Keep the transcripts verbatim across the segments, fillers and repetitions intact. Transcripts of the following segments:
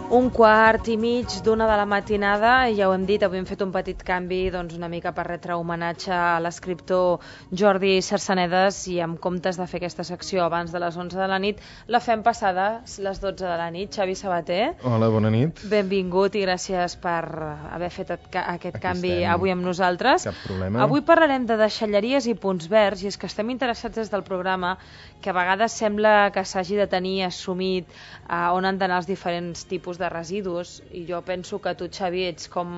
Un quart i mig d'una de la matinada, i ja ho hem dit, avui hem fet un petit canvi doncs, una mica per retre homenatge a l'escriptor Jordi Cercenedes, i en comptes de fer aquesta secció abans de les onze de la nit, la fem passades les dotze de la nit. Xavi Sabater. Hola, bona nit. Benvingut i gràcies per haver fet aquest Aquí canvi estem. Avui amb nosaltres. Cap problema. Avui parlarem de deixalleries i punts verds, i és que estem interessats des del programa, que a vegades sembla que s'hagi de tenir assumit uh, on han d'anar els diferents tipus de residus, i jo penso que tu, Xavi, ets com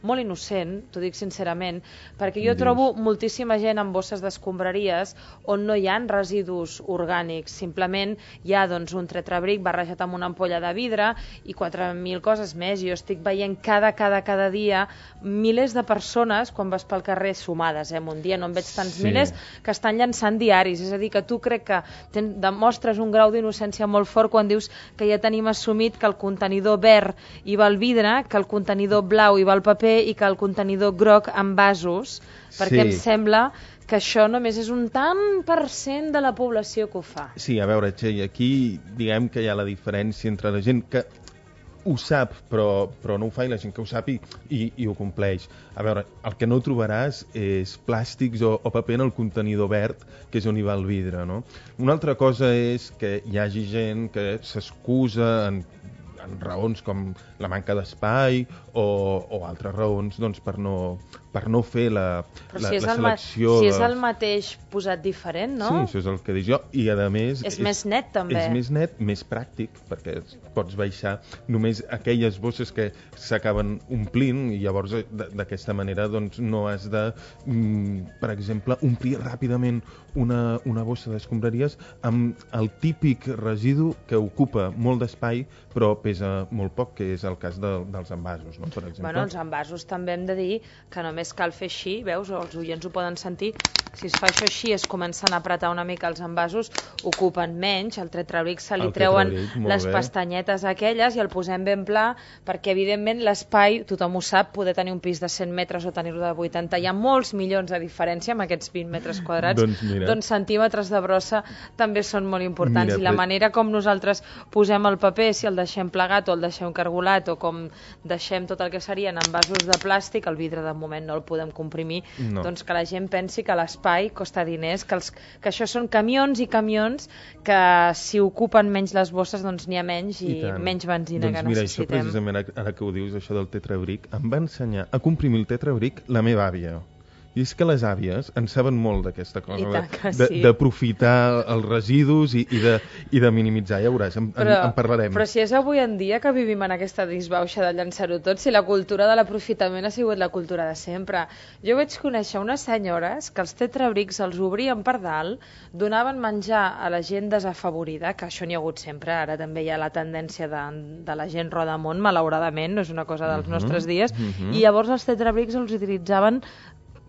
molt innocent, t'ho dic sincerament, perquè jo trobo moltíssima gent amb bosses d'escombraries on no hi ha residus orgànics, simplement hi ha doncs, un tetrabric barrejat amb una ampolla de vidre i quatre mil coses més. Jo estic veient cada, cada, cada dia milers de persones, quan vas pel carrer, sumades, eh? Un dia no en veig tants Sí. milers, que estan llançant diaris. És a dir, que tu crec que ten, demostres un grau d'innocència molt fort quan dius que ja tenim assumit que el contenidor verd hi va el vidre, que el contenidor blau hi va el paper i que el contenidor groc en vasos, perquè Sí. em sembla que això només és un tant per cent de la població que ho fa. Sí, a veure, Txell, aquí diguem que hi ha la diferència entre la gent que ho sap, però, però no ho fa, i la gent que ho sap i, i, i ho compleix. A veure, el que no trobaràs és plàstics o, o paper en el contenidor verd, que és on hi va el vidre, no? Una altra cosa és que hi hagi gent que s'excusa en, en raons com la manca d'espai o, o altres raons doncs, per, no, per no fer la, Però la, si és, la el, ma selecció. si és de... el mateix posat diferent, no? Sí, això és el que dic jo. I a més... És, és més net, també. És més net, més pràctic, perquè pots baixar només aquelles bosses que s'acaben omplint, i llavors d'aquesta manera doncs, no has de, mm, per exemple, omplir ràpidament una, una bossa d'escombraries amb el típic residu que ocupa molt d'espai però pesa molt poc, que és el cas de, dels envasos, no? Per exemple. Bueno, els envasos també hem de dir que només cal fer així, veus, els oients ho poden sentir, si es fa això així, es comencen a apretar una mica els envasos, ocupen menys, el tetrabric se li El treuen tetrabric, les bé. pestanyetes aquelles i el posem ben pla, perquè evidentment l'espai, tothom ho sap, poder tenir un pis de cent metres o tenir-lo de vuitanta, hi ha molts milions de diferència amb aquests vint metres quadrats, Doncs mira. doncs centímetres de brossa també són molt importants. Mira, I la però- manera com nosaltres posem el paper, si el deixem plegat o el deixem cargolat, o com deixem tot el que serien envasos de plàstic, el vidre de moment no el podem comprimir, No. doncs que la gent pensi que l'espai costa diners, que, els, que això són camions i camions que si ocupen menys les bosses doncs n'hi ha menys i, I tant. menys benzina doncs que mira, necessitem. Això precisament, ara que ho dius, això del tetrabric, em va ensenyar a comprimir el tetrabric la meva àvia. I és que les àvies en saben molt d'aquesta cosa, I tant que de- sí. d'aprofitar els residus i, i, de, i de minimitzar, ja veuràs, en, en, en parlarem. Però si és avui en dia que vivim en aquesta disbauxa de llançar-ho tot, si la cultura de l'aprofitament ha sigut la cultura de sempre. Jo vaig conèixer unes senyores que els tetrabrics els obrien per dalt, donaven menjar a la gent desafavorida, que això n'hi ha hagut sempre, ara també hi ha la tendència de, de la gent rodamont, malauradament, no és una cosa dels Mhm, nostres dies, mhm. i llavors els tetrabrics els utilitzaven,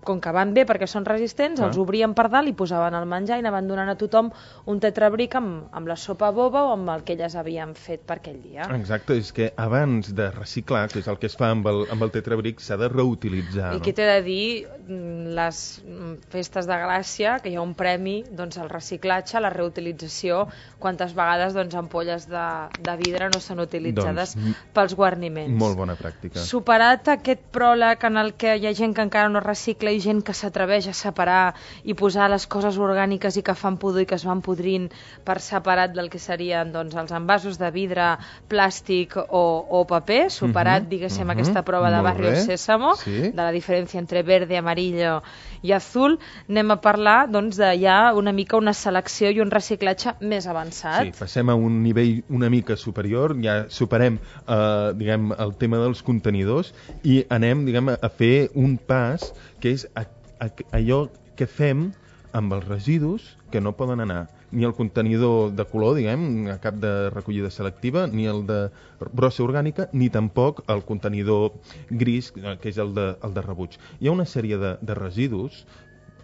com que van bé perquè són resistents, Ah. els obrien per dalt i posaven el menjar i anaven donant a tothom un tetrabric amb, amb la sopa boba o amb el que elles havien fet per aquell dia. Exacte, és que abans de reciclar, que és el que es fa amb el, amb el tetrabric, s'ha de reutilitzar. I no? què t'he de dir, mm, les mm, festes de Gràcia, que hi ha un premi doncs, al reciclatge, a la reutilització, quantes vegades doncs, ampolles de, de vidre no són utilitzades Doncs, pels guarniments. Molt bona pràctica. Superat aquest pròleg en el que hi ha gent que encara no recicla i gent que s'atreveix a separar i posar les coses orgàniques i que fan pudor i que es van podrint per separat del que serien doncs, els envasos de vidre, plàstic o, o paper, superat, Mhm, diguéssim, mhm, aquesta prova de molt Barrio bé, Sésamo, sí. de la diferència entre verde, amarillo i azul, anem a parlar doncs, de ja una mica una selecció i un reciclatge més avançat. Sí, passem a un nivell una mica superior, ja superem eh, diguem, el tema dels contenidors i anem diguem, a fer un pas que és a, a, allò que fem amb els residus que no poden anar ni el contenidor de color, diguem, a cap de recollida selectiva, ni el de brossa orgànica, ni tampoc el contenidor gris, que és el de, el de rebuig. Hi ha una sèrie de, de residus,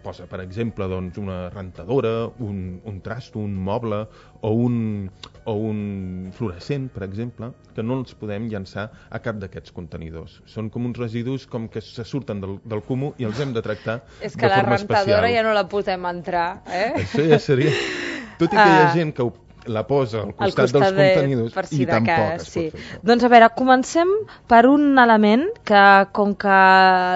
posa, per exemple, doncs, una rentadora, un, un trasto, un moble o un, o un fluorescent, per exemple, que no els podem llançar a cap d'aquests contenidors. Són com uns residus com que se surten del, del comú i els hem de tractar És que de la forma rentadora especial. ja no la podem entrar, eh? Això ja seria... Tot i que hi ha gent que ho la posa al costat, costat dels de, contenidors per si i de tampoc cas, es sí. pot fer això. Doncs a veure, comencem per un element que, com que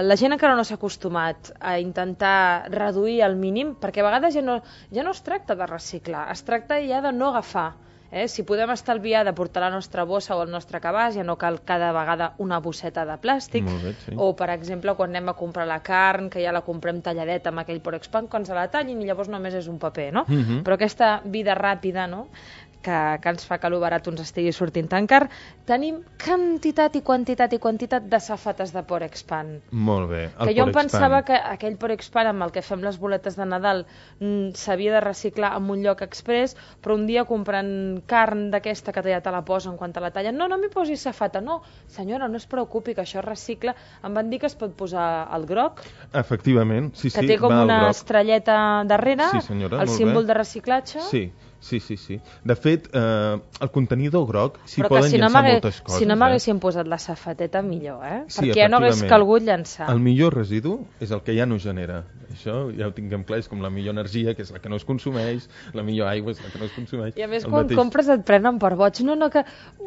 la gent encara no s'ha acostumat a intentar reduir al mínim, perquè a vegades ja no, ja no es tracta de reciclar, es tracta ja de no agafar. Eh? Si podem estalviar de portar la nostra bossa o el nostre cabàs, ja no cal cada vegada una bosseta de plàstic. Molt bé, sí. O, per exemple, quan anem a comprar la carn, que ja la comprem talladeta amb aquell Porexpan, quan se la tallin i llavors només és un paper, no? Mhm. Però aquesta vida ràpida, no?, que, que ens fa que lo barat ens estigui sortint tan car, tenim quantitat i quantitat i quantitat de safates de Porexpan. Molt bé. El Que jo em Porexpan. pensava que aquell Porexpan amb el que fem les boletes de Nadal mm, s'havia de reciclar en un lloc express, però un dia comprant carn d'aquesta que ja te la posen quan te la tallen, no, no m'hi posis safata, no, senyora, no es preocupi que això es recicla. Em van dir que es pot posar el groc, Efectivament, sí, sí. que té com va al una groc. estrelleta darrere, Sí, senyora, el molt símbol bé. de reciclatge. Sí, sí, sí, sí. De fet, eh, el contenidor groc s'hi Però que poden si no llançar m'hagués- moltes coses. si no eh? m'haguessin posat la safateta, millor, eh? Sí, perquè ja no hagués efectivament. calgut llançar. El millor residu és el que ja no genera. Això ja ho tinguem clar, és com la millor energia, que és la que no es consumeix, la millor aigua és la que no es consumeix. I a més, El quan mateix. compres et prenen per boig. No, no, que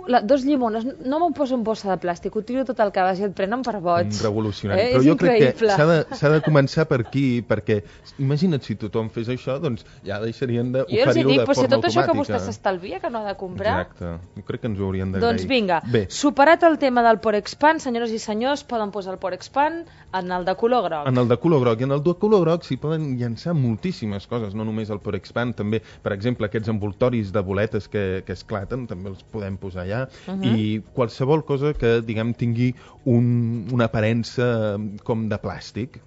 la, dos llimones, no me'n poso en bossa de plàstic, ho tiro tot el que vagi, et prenen per boig. Un revolucionari. Eh? Però És jo crec que increïble. s'ha de, s'ha de començar per aquí, perquè imagina't si tothom fes això, doncs ja deixarien Jo els hi d'oferir-ho dic, de però si forma tot això que automàtica. vostè s'estalvia, que no ha de comprar... Exacte. Jo crec que ens ho haurien d'agrair. Doncs vinga, Bé, superat el tema del Porexpan, senyores i senyors, poden posar el Porexpan en el de color groc. en el de color groc. I en el de color groc s'hi poden llançar moltíssimes coses, no només el Porexpan, també, per exemple, aquests envoltoris de boletes que, que esclaten, també els podem posar allà, Uh -huh. i qualsevol cosa que, diguem, tingui un, una aparença com de plàstic,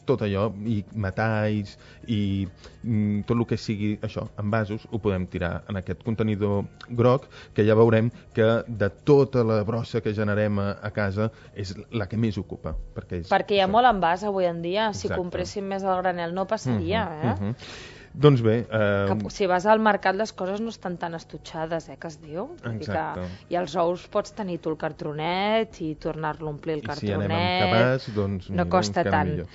tot allò, i metalls, i mm, tot el que sigui això, envasos, ho podem tirar en aquest contenidor groc, que ja veurem que de tota la brossa que generem a, a casa és la que més ocupa. Perquè, és, Perquè hi ha això. molt envàs avui en dia. Si Exacte. compréssim més al granel no passaria, Mhm, eh? mhm. Doncs bé... Eh, Que, si vas al mercat les coses no estan tan estutxades, eh, que es diu. Vull dir Exacte. Que, I els ous pots tenir tu el cartronet i tornar-lo a omplir el I si cartronet. anem amb cabàs, doncs... no mira, costa encara tant. millor.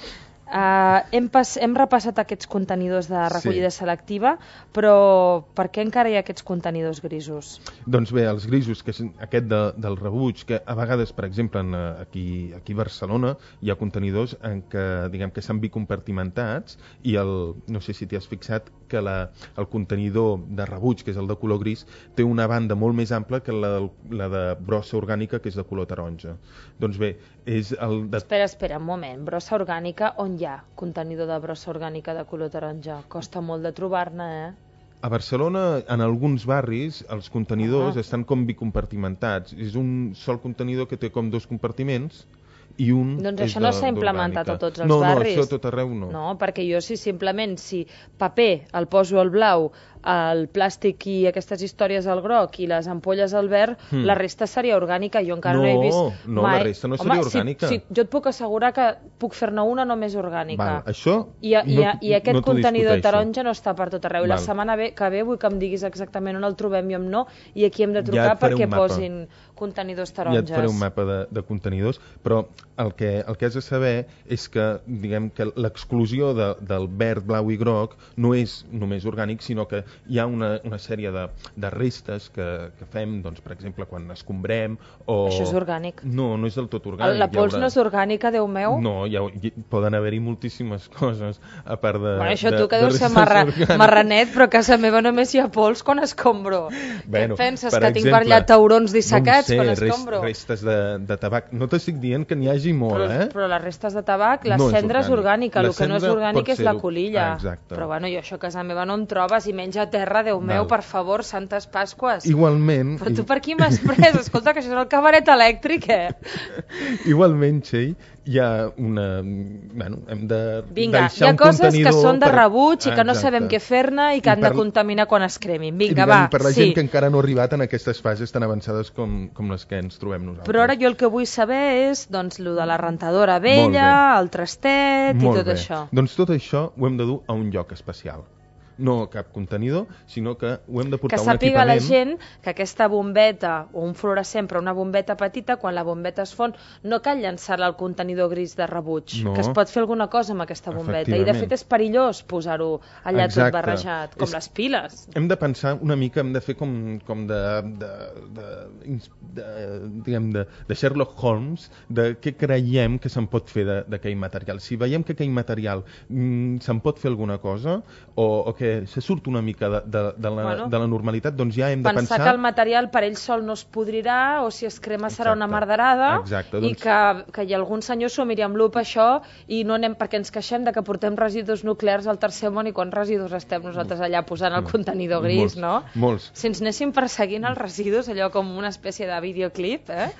Uh, hem, pas, hem repassat aquests contenidors de recollida Sí. selectiva, però per què encara hi ha aquests contenidors grisos? Doncs bé, els grisos, que és aquest de, del rebuig, que a vegades, per exemple, en, eh, aquí, aquí a Barcelona hi ha contenidors en què, diguem, que s'han bicompartimentats i el, no sé si t'hi has fixat que la, el contenidor de rebuig, que és el de color gris, té una banda molt més ampla que la, del- la de brossa orgànica, que és de color taronja. Doncs bé, és el de... Espera, espera, un moment. Brossa orgànica, on hi ha contenidor de brossa orgànica de color taronja? Costa molt de trobar-ne, eh? A Barcelona, en alguns barris, els contenidors Ah. estan com bicompartimentats. És un sol contenidor que té com dos compartiments i un Doncs és això no de- s'ha implementat d'orgànica. a tots els no, barris. No, això a tot arreu no. No, perquè jo si simplement, si paper el poso al blau, el plàstic i aquestes històries al groc i les ampolles al verd, Hmm. la resta seria orgànica. Jo encara no, No, he vist no, mai... la resta no seria Home, orgànica. Si, si, jo et puc assegurar que puc fer-ne una només orgànica. Val, això I, i, no, I aquest no t'ho contenidor discuteixo. taronja no està per tot arreu. La Val. setmana ve, que ve vull que em diguis exactament on el trobem i on no, i aquí hem de Ja trucar et faré perquè un mapa. posin contenidors Ja taronges. et faré un mapa de, de contenidors, però el que, el que has de saber és que, diguem, que l'exclusió de, del verd, blau i groc no és només orgànic, sinó que hi ha una, una sèrie de, de restes que, que fem, doncs, per exemple, quan escombrem o... Això és orgànic. No, no és del tot orgànic. La pols Hi haurà- no és orgànica, Déu meu? No, hi, ha, hi poden haver-hi moltíssimes coses, a part de... Bueno, això de, tu que de deus ser restes marra, orgàniques. marranet, però a casa meva només hi ha pols quan escombro. Bueno, Què et penses, per que tinc per exemple, allà taurons dissecats no quan ho sé, escombro? Res, restes de, de tabac. No t'estic dient que n'hi hagi molt, Però, eh? però les restes de tabac, la No és cendra és orgànic. orgànica, La el que no és cendra orgànic pot és la ser-ho. colilla. Ah, exacte. Però bueno, jo això a casa meva no em trobes i menys a terra, Déu meu, Val. per favor, santes Pasques. Igualment... Però tu per qui m'has pres? Escolta, que això és el cabaret elèctric, eh? Igualment, Txell, hi ha una... Bueno, hem de Vinga, hi deixar ha un coses que contenidor són de per- rebuig i que no Exacte. sabem què fer-ne i que I han de per- contaminar quan es cremin. I, Vinga, diguem, va, per la sí. gent que encara no ha arribat en aquestes fases tan avançades com, com les que ens trobem nosaltres. Però ara jo el que vull saber és doncs, lo de la rentadora Molt vella, bé. el trastet i Molt tot bé. això. Doncs tot això ho hem de dur a un lloc especial. no cap contenidor, sinó que ho hem de portar que a un equipament... Que sàpiga la gent que aquesta bombeta, o un fluorescent, però una bombeta petita, quan la bombeta es fon, no cal llançar-la al contenidor gris de rebuig, no. que es pot fer alguna cosa amb aquesta bombeta, i de fet és perillós posar-ho allà Exacte. tot barrejat, com és... les piles. Hem de pensar una mica, hem de fer com, com de, de, de, de, diguem, de, de Sherlock Holmes, de què creiem que se'n pot fer d'aquell material. Si veiem que aquell material mm, se'n pot fer alguna cosa, o, o que se surt una mica de, de, de, la, bueno, de la normalitat, doncs ja hem de pensar... Pensar que el material per ell sol no es podrirà, o si es crema serà Exacte. Una marderada, Exacte, doncs... i que, que hi ha algun senyor s'ho miri amb lupa això, i no anem perquè ens queixem de que portem residus nuclears al tercer món, i quants residus estem nosaltres allà posant el contenidor gris, molts, no? Molts. Si ens anéssim perseguint els residus, allò com una espècie de videoclip, eh?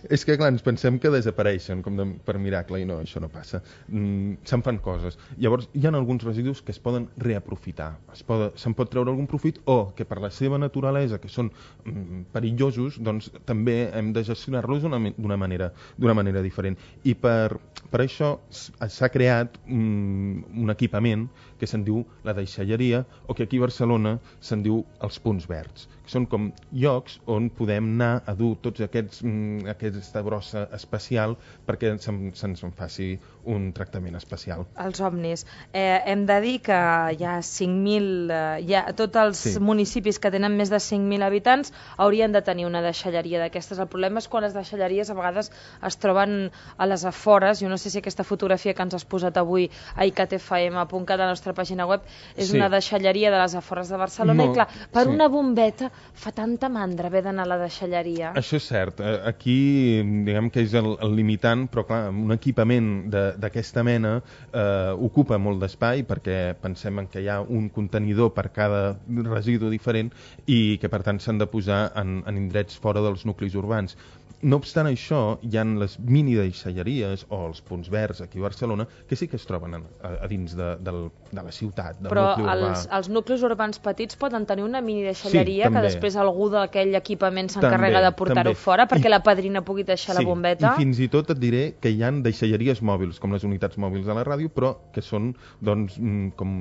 És que, clar, ens pensem que desapareixen com de, per miracle, i no, això no passa. Mm, se'n fan coses. Llavors, hi ha alguns residus que es poden reaprofitar. Es poden, se'n pot treure algun profit, o que per la seva naturalesa, que són mm, perillosos, doncs també hem de gestionar-los d'una manera, d'una manera diferent. I per, per això s'ha creat mm, un equipament que se'n diu la deixalleria, o que aquí a Barcelona se'n diu els punts verds, que són com llocs on podem anar a dur tots aquests, mm, aquesta brossa especial perquè se'ns se en faci un tractament especial. Els ovnis. Eh, hem de dir que hi ha cinc mil, eh, hi ha, tots els sí. municipis que tenen més de cinc mil habitants haurien de tenir una deixalleria d'aquestes. El problema és quan les deixalleries a vegades es troben a les afores. Jo no sé si aquesta fotografia que ens has posat avui a i c t f m punt cat a la nostra pàgina web és sí. una deixalleria de les afores de Barcelona. Molt, i clar, per sí. una bombeta fa tanta mandra haver d'anar a la deixalleria. Això és cert. Aquí, diguem que és el, el limitant, però clar, un equipament d'aquesta mena eh, ocupa molt d'espai, perquè pensem en que hi ha un contenidor per cada residu diferent i que per tant s'han de posar en, en indrets fora dels nuclis urbans. No obstant això, hi ha les mini deixalleries o els punts verds aquí a Barcelona que sí que es troben a, a dins de, de, de la ciutat, del Però nucli urbà. Però els, els nuclis urbans petits poden tenir una mini deixalleria sí, que després algú d'aquell equipament s'encarrega de portar-ho fora perquè I, la padrina pugui deixar sí, la bombeta. I fins i tot et diré que hi ha deixalleries mòbils, com les unitats mòbils de la ràdio, però que són doncs, com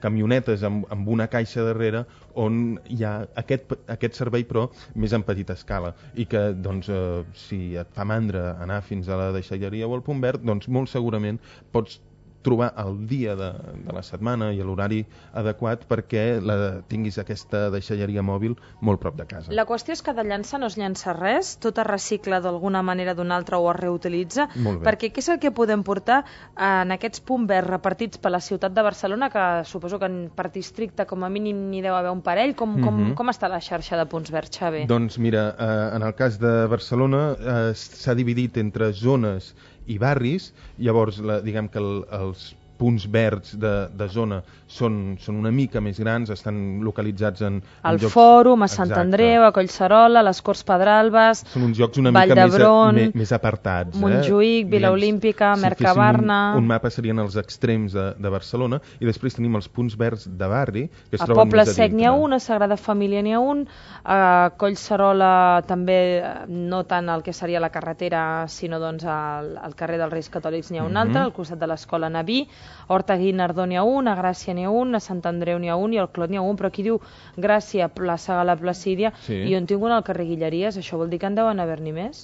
camionetes amb, amb una caixa darrere on hi ha aquest, aquest servei però més en petita escala i que doncs, eh, si et fa mandra anar fins a la deixalleria o al punt verd, doncs molt segurament pots trobar el dia de, de la setmana i l'horari adequat perquè la, tinguis aquesta deixalleria mòbil molt prop de casa. La qüestió és que de llançar no es llança res, tot es recicla d'alguna manera d'una altra o es reutilitza, perquè què és el que podem portar en aquests punts verds repartits per la ciutat de Barcelona, que suposo que per districte com a mínim n'hi deu haver un parell, com, com, mm-hmm. com està la xarxa de punts verds, Xavi? Doncs mira, eh, en el cas de Barcelona eh, s'ha dividit entre zones i barris, llavors la, diguem que el, els punts verds de, de zona són, són una mica més grans, estan localitzats en, en el llocs... Fòrum, a Sant Exacte. Andreu, a Collserola, a les Corts Pedralbes, són uns llocs una mica més, més, més apartats. Montjuïc, eh? Vila Olímpica, si Mercabarna... Un, un mapa serien els extrems de, de Barcelona i després tenim els punts verds de barri que es a troben Poble més a Sec n'hi ha un, a Sagrada Família n'hi ha un, a Collserola també, no tant el que seria la carretera, sinó doncs al, al carrer dels Reis Catòlics n'hi ha un mm-hmm. altre, al costat de l'escola Naví, Horta Guinardó n'hi ha un, a Gràcia n'hi ha un, a Sant Andreu n'hi ha un i al Clot n'hi ha un, però aquí diu Gràcia, plaça Gala Placídia, sí. i jo en tinc un al carrer Guilleries, això vol dir que en deuen haver-n'hi més?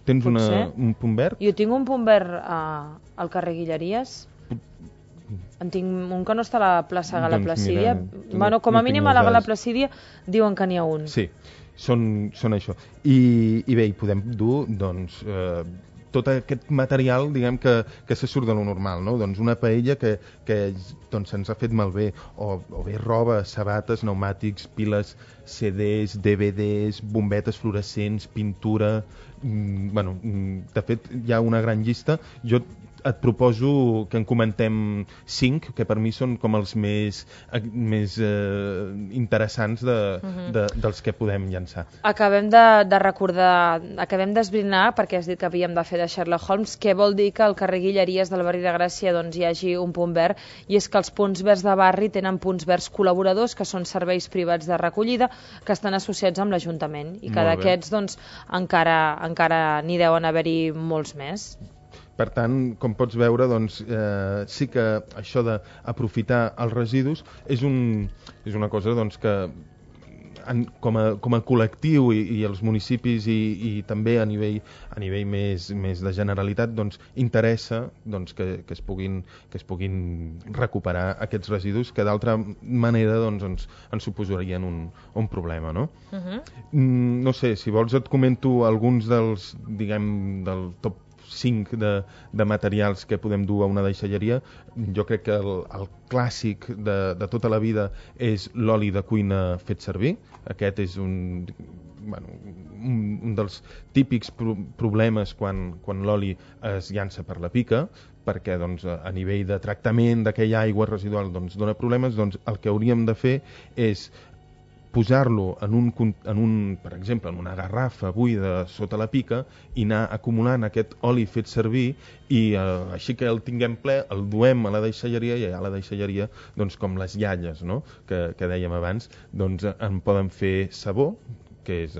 Tens una, un punt verd? Jo tinc un punt verd uh, al carrer Guilleries. En tinc un que no està a la plaça Gala doncs Placídia. Mira, bueno, com a mínim a la Gala Placídia diuen que n'hi ha un. Sí, són, són això. I, i bé, hi podem dur, doncs... Eh, tot aquest material, diguem, que, que se surt de lo normal, no? Doncs una paella que, que doncs, se'ns ha fet malbé, o, o bé roba, sabates, pneumàtics, piles, C Ds, D V Ds, bombetes fluorescents, pintura... Mm, bueno, de fet, hi ha una gran llista. Jo et proposo que en comentem cinc, que per mi són com els més, més eh, interessants de, uh-huh. de, dels que podem llançar. Acabem de, de recordar, acabem d'esbrinar, perquè has dit que havíem de fer de Sherlock Holmes, què vol dir que al carrer Guilleries del barri de Gràcia doncs, hi hagi un punt verd, i és que els punts verds de barri tenen punts verds col·laboradors, que són serveis privats de recollida, que estan associats amb l'Ajuntament, i que d'aquests doncs, encara, encara n'hi deuen haver-hi molts més. per tant, com pots veure, doncs, eh, sí que això d'aprofitar els residus és, un, és una cosa doncs, que en, com, a, com a col·lectiu i, i els municipis i, i també a nivell, a nivell més, més de generalitat doncs, interessa doncs, que, que, es puguin, que es puguin recuperar aquests residus que d'altra manera doncs, ens, ens suposarien un, un problema, no? Uh-huh. Mm, no sé, si vols et comento alguns dels, diguem, del top cinc de, de materials que podem dur a una deixalleria. Jo crec que el, el clàssic de, de tota la vida és l'oli de cuina fet servir. Aquest és un, bueno, un, un dels típics pro problemes quan, quan l'oli es llança per la pica, perquè doncs, a nivell de tractament d'aquella aigua residual doncs, dona problemes. Doncs el que hauríem de fer és posar-lo en un, en un, per exemple, en una garrafa buida sota la pica i anar acumulant aquest oli fet servir i eh, així que el tinguem ple, el duem a la deixalleria i a la deixalleria, doncs com les iaies, no? que, que dèiem abans, doncs en poden fer sabó, que és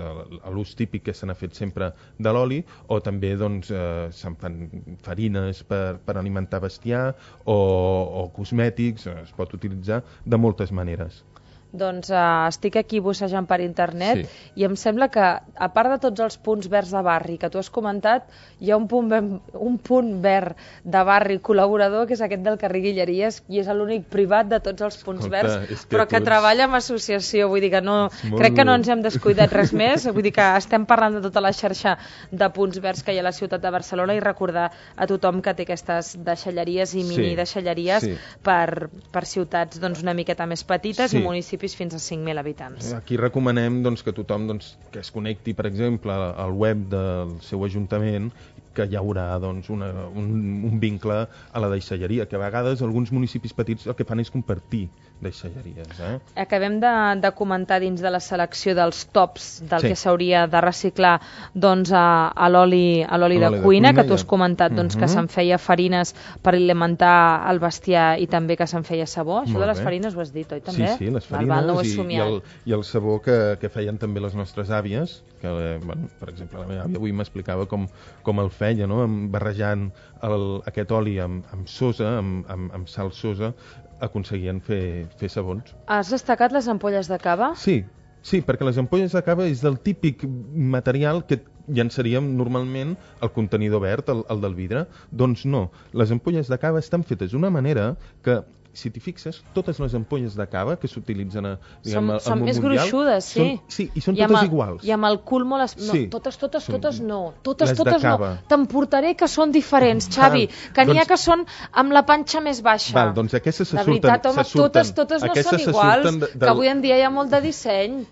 l'ús típic que se n'ha fet sempre de l'oli, o també doncs, eh, se'n fan farines per, per alimentar bestiar o, o cosmètics, es pot utilitzar de moltes maneres. Doncs uh, estic aquí bussejant per internet sí. i em sembla que, a part de tots els punts verds de barri que tu has comentat, hi ha un punt, ben, un punt verd de barri col·laborador, que és aquest del carrer Guilleries, i és l'únic privat de tots els punts Escolta, verds, que però que tots... treballa en associació. Vull dir que no, molt... crec que no ens hem descuidat res més. Vull dir que estem parlant de tota la xarxa de punts verds que hi ha a la ciutat de Barcelona i recordar a tothom que té aquestes deixalleries i mini sí. deixalleries sí. per, per ciutats doncs, una miqueta més petites sí. i municipis fins a cinc mil habitants. Aquí recomanem doncs, que tothom doncs, que es connecti, per exemple, al web del seu ajuntament, que hi haurà doncs, una, un, un vincle a la deixalleria, que a vegades alguns municipis petits el que fan és compartir deixalleries. Eh? Acabem de, de comentar dins de la selecció dels tops del sí. que s'hauria de reciclar doncs, a, a l'oli a l'oli de, de cuina, que tu has comentat doncs, uh-huh. que se'n feia farines per alimentar el bestiar i també que se'n feia sabó. Això Molt de les bé. farines ho has dit, oi també? Sí, sí, les farines val, val, no i, i, el, i el sabó que, que feien també les nostres àvies, que, bueno, per exemple, la meva àvia avui m'explicava com, com el feia, no? barrejant el, aquest oli amb, amb sosa, amb, amb, amb sal sosa, aconseguien fer, fer sabons. Has destacat les ampolles de cava? Sí, sí, perquè les ampolles de cava és del típic material que llançaríem normalment el contenidor verd, el, el del vidre. Doncs no, les ampolles de cava estan fetes d'una manera que, si t'hi fixes, totes les ampolles de cava que s'utilitzen a, diguem, són, al són món més mundial... gruixudes, sí. Són, sí, i són I totes el, iguals. I amb el cul molt... Es... No, sí, totes, totes, són totes no. Totes, les totes de no. T'emportaré que són diferents, Xavi. Que n'hi doncs, ha que són amb la panxa més baixa. Val, doncs aquestes se de surten... veritat, home, se surten, totes, totes no són iguals. De, de... Que avui en dia hi ha molt de disseny.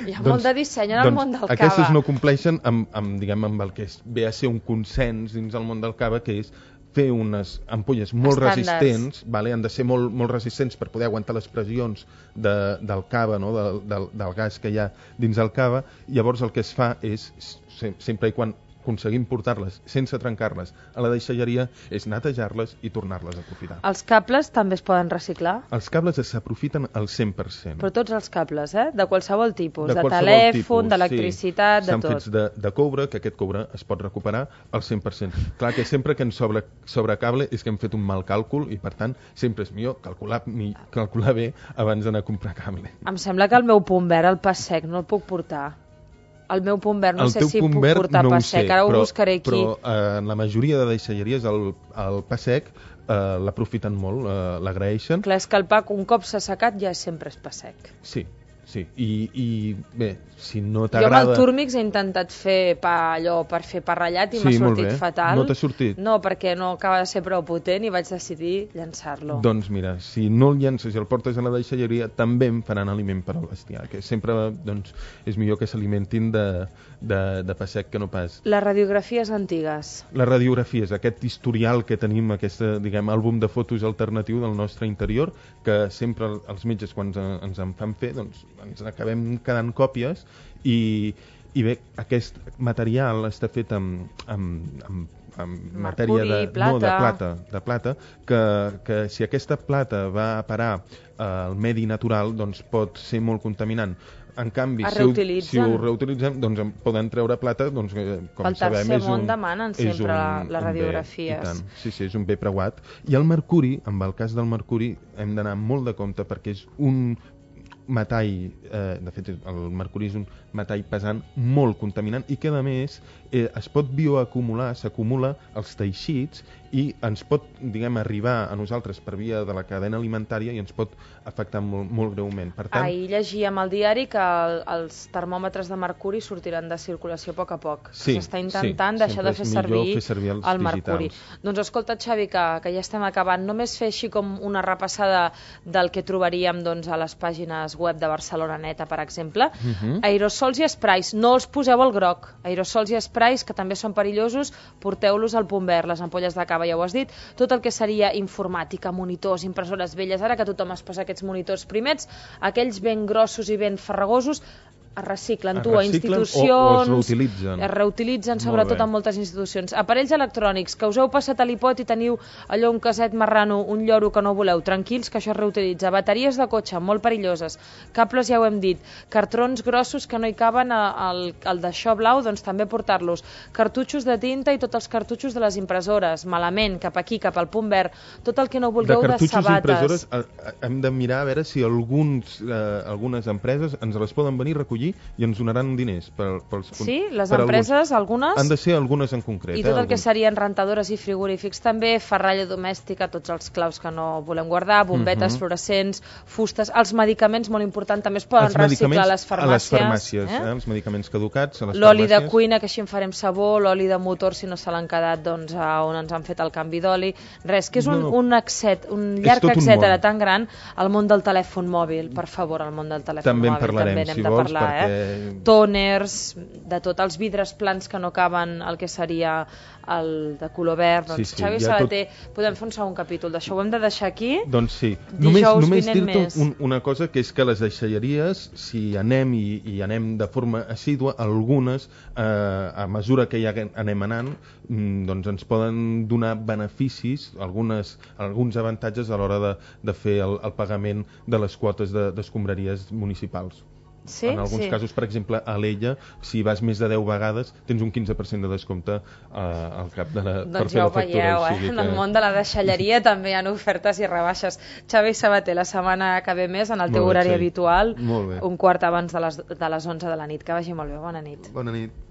Hi ha doncs, molt de disseny en el doncs, món del cava. Aquestes no compleixen amb, amb, diguem, amb el que ve a ser un consens dins el món del cava, que és fer unes ampolles molt Estàndards. resistents, vale? Han de ser molt, molt resistents per poder aguantar les pressions de, del cava, no? del, del, del gas que hi ha dins el cava. Llavors el que es fa és, sempre i quan aconseguim portar-les sense trencar-les a la deixalleria, és netejar-les i tornar-les a aprofitar. Els cables també es poden reciclar? Els cables s'aprofiten al cent per cent. Però tots els cables, eh? De qualsevol tipus, de, de qualsevol telèfon, d'electricitat, sí. de tot. S'han fets de, de coure, que aquest coure es pot recuperar al cent per cent. Clar que sempre que ens sobra, sobra cable és que hem fet un mal càlcul i per tant sempre és millor calcular, mi, calcular bé abans d'anar a comprar cable. Em sembla que el meu punt verd, el pa sec, no el puc portar. El meu punt verd, no el sé si puc portar no pa sec, sé, ara però, ho buscaré aquí. Però eh, en la majoria de deixalleries el, el pa sec eh, l'aprofiten molt, eh, l'agraeixen. Clar, és que el pa un cop s'ha secat ja sempre és pa sec. Sí, sí, i, i bé, si no Jo t'agrada... amb el Turmix he intentat fer pa allò per fer pa ratllat i sí, m'ha sortit fatal. No t'ha sortit? No, perquè no acaba de ser prou potent i vaig decidir llançar-lo. Doncs mira, si no el llences i el portes a la deixalleria, també em faran aliment per al bestiar, que sempre doncs, és millor que s'alimentin de, de, de pa sec que no pas... Les radiografies antigues. Les radiografies, aquest historial que tenim, aquest diguem, àlbum de fotos alternatiu del nostre interior, que sempre els metges quan ens, ens en fan fer, doncs ens acabem quedant còpies i, i bé, aquest material està fet amb, amb, amb, en Mercuri, matèria de, plata. no, de plata, de plata que, que si aquesta plata va a parar al medi natural, doncs pot ser molt contaminant. En canvi, si ho, si ho reutilitzem, doncs poden treure plata, doncs, com Pel sabem, és un... Pel tercer món demanen sempre un, les radiografies. Bé, i tant. Sí, sí, és un bé preuat. I el mercuri, amb el cas del mercuri, hem d'anar molt de compte perquè és un metall, eh, de fet el mercuri és un metall pesant molt contaminant i que a més eh, es pot bioacumular, s'acumula als teixits i ens pot, diguem, arribar a nosaltres per via de la cadena alimentària i ens pot afectar molt, molt greument. Per tant... Ahir llegíem al diari que el, els termòmetres de mercuri sortiran de circulació a poc a poc. Sí, S'està intentant sí, deixar de fer servir, fer servir els el mercuri. digitals. Doncs escolta, Xavi, que, que ja estem acabant. Només fer així com una repassada del que trobaríem doncs, a les pàgines web de Barcelona Neta, per exemple. Uh -huh. Aerosols i sprays, no els poseu al groc. Aerosols i sprays, que també són perillosos, porteu-los al punt verd. Les ampolles de cava, ja ho has dit. Tot el que seria informàtica, monitors, impressores velles, ara que tothom es posa aquests monitors primets, aquells ben grossos i ben farragosos, es reciclen, es tu, a institucions... O, o es reutilitzen. Es reutilitzen, sobretot en moltes institucions. Aparells electrònics, que us heu passat a l'ipot i teniu allò, un caset marrano, un lloro que no voleu, tranquils, que això es reutilitza. Bateries de cotxe, molt perilloses. Cables, ja ho hem dit. Cartrons grossos que no hi caben al, al d'això blau, doncs també portar-los. Cartutxos de tinta i tots els cartutxos de les impressores. Malament, cap aquí, cap al punt verd. Tot el que no vulgueu de, de sabates. De cartutxos i impressores hem de mirar a veure si alguns, eh, algunes empreses ens les poden venir a recollir i ens donaran diners per, pels, sí, les per empreses, algunes... Han de ser algunes en concret. I tot eh, el que serien rentadores i frigorífics també, ferralla domèstica, tots els claus que no volem guardar, bombetes, uh -huh. fluorescents, fustes, els medicaments, molt important, també es poden els reciclar a les farmàcies. A les farmàcies, eh? Eh? Els medicaments caducats a les l'oli farmàcies. De cuina, que així en farem sabó, l'oli de motor, si no se l'han quedat, doncs a on ens han fet el canvi d'oli. Res, que és un, no, no. un, accet, un llarg etcètera tan gran, al món del telèfon mòbil, per favor, al món del telèfon també mòbil. En parlarem, també n'hem si de vols, parlar, perquè... eh? Tòners, de tot, els vidres plans que no caben el que seria el de color verd. Doncs, sí, sí, Xavi Sabater, tot... podem fer un segon capítol d'això, ho hem de deixar aquí. Doncs sí, només, només dir-te un, una cosa, que és que les deixalleries, si anem i, i anem de forma assídua, algunes, eh, a mesura que ja anem anant, doncs ens poden donar beneficis, algunes, alguns avantatges a l'hora de, de fer el, el pagament de les quotes d'escombraries municipals. Sí, en alguns sí. casos, per exemple, a l'Ella, si vas més de deu vegades, tens un quinze per cent de descompte eh, al cap de la, doncs per fer ja la factura. Veieu, o sigui eh? que... En el món de la deixalleria també hi ha ofertes i rebaixes. Xavi Sabater, la setmana que ve més, en el teu molt bé, horari sí. habitual, un quart abans de les, de les onze de la nit. Que vagi molt bé, bona nit. Bona nit.